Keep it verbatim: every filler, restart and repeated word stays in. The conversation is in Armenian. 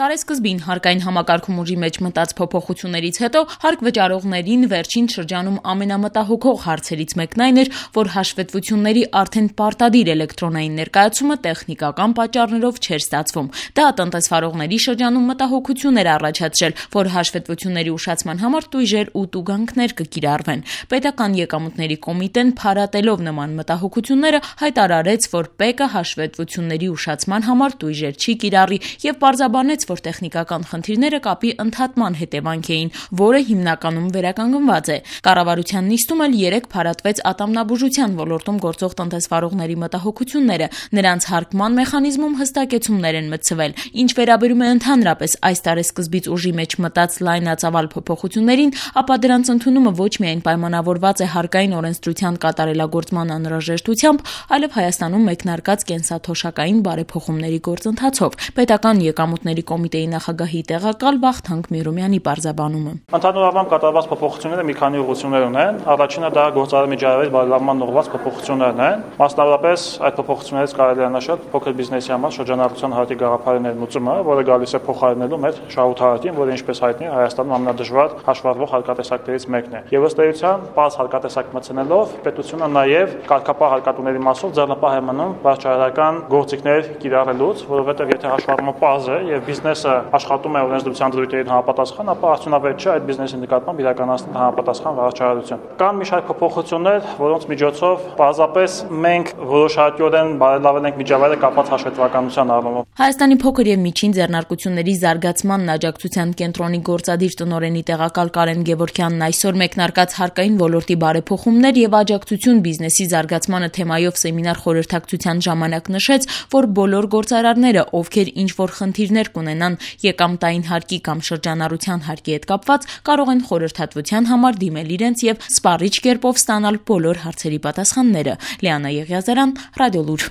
Տարեսկզբին հարկային համակարգում ուժի մեջ մտած փոփոխություններից հետո հարկ վճարողներին վերջին շրջանում ամենամտահոգող հարցերից մեկն այն էր, որ հաշվետվությունների արդեն պարտադիր էլեկտրոնային ներկայացումը տեխնիկական պատճառներով չէր ստացվում։ Դա տնտեսվարողների շրջանում մտահոգություն էր առաջացրել, որ հաշվետվությունների ուշացման համար տույժեր ու տուգանքներ կկիրառվեն։ Պետական եկամուտների կոմիտեն փարատելով նման մտահոգությունները հայտարարեց, որ ՊԵԿ-ը հաշվետվությունների ուշացման համար տույժեր չի կիրառի եւ պարզաբանեց, որ տեխնիկական խնդիրները կապի ընդհատման հետևանք էին, որը հիմնականում վերականգնված է։ Կառավարության նիստում էլ երեկ փարատվեց ատամնաբուժության ոլորտում գործող տնտեսվարողների մտահոգությունները, նրանց հարկման մեխանիզմում հստակեցումներ են մտցվել։ Ինչ վերաբերում է ընդհանրապես այս տարեսկզբից ուժի մեջ մտած լայնածավալ փոփոխություններին, ապա դրանց ընդունումը ոչ միայն պայմանավորված է հարկային օրենսդրության կատարելագործման անհրաժեշտությամբ, այլև Հայաստանում մեկնարկած կենսաթոշակային բարեփոխումների գործընթացով։ Պետական եկամուտների կոմիտեի նախագահի տեղակալ Վախթանգ Միրումյանի պարզաբանումը։ Ընդհանուր առմամբ կատարված փոփոխությունները մի քանի ուղղություններ ունեն։ Առաջինը դա գործարար միջավայրի բարելավման ուղղված փոփոխություններն են։ Մասնավորապես այդ փոփոխություններից կարելի է նշել փոքր բիզնեսի համար շրջանառության հարկի գաղափարի ներմուծումը, որը գալիս է փոխարինելու մեր շահութարակին, որը ինչպես հայտնի է Հայաստանում ամենադժվար հաշվառվող հարկատեսակներից մեկն է։ Եվ ըստ էության, բաց հարկատեսակ մտցնելով պետությունը նաև կարգապահ հարկատուների մասով ձեռնպահ է մնում վարչարարական գործիքներ կիրառելուց, որովհետև եթե հաշվառումը պարզ է եւ բիզնեսը աշխատում է օրենսդրության դրույթերին համապատասխան, ապա արդյունավետ չէ այդ բիզնեսի նկատմամբ իրականացնել համապատասխան վարչարարություն։ Կան մի շարք փոփոխություններ, որոնց միջոցով պարզապես մենք որոշակիորեն բարելավել ենք միջավայրը կապված հաշվետվականության առումով։ Հայաստանի փոքր եւ միջին ձեռնարկությունների զարգացման աջակցության կենտրոնի գործադիր տնօրենի տեղակալ Կարեն Գևորգյանն այսօր մեկնարկած հարկային ոլորտի բարեփոխումներ եւ աջակցություն բիզնեսի զարգացմանը թեմայով սեմինար խորհրդակցության ժամանակ նշեց, որ բոլոր գործարարները, ովքեր ինչ-որ խնդիրներ կունենան եկամտային հարկի կամ շրջանառության հարկի հետ կապված, կարող են խորհրդատվության համար դիմել իրենց եւ սպառիչ կերպով ստանալ բոլոր հարցերի պատասխանները։ Լիանա Եղիազարյան, Ռադիոլուր։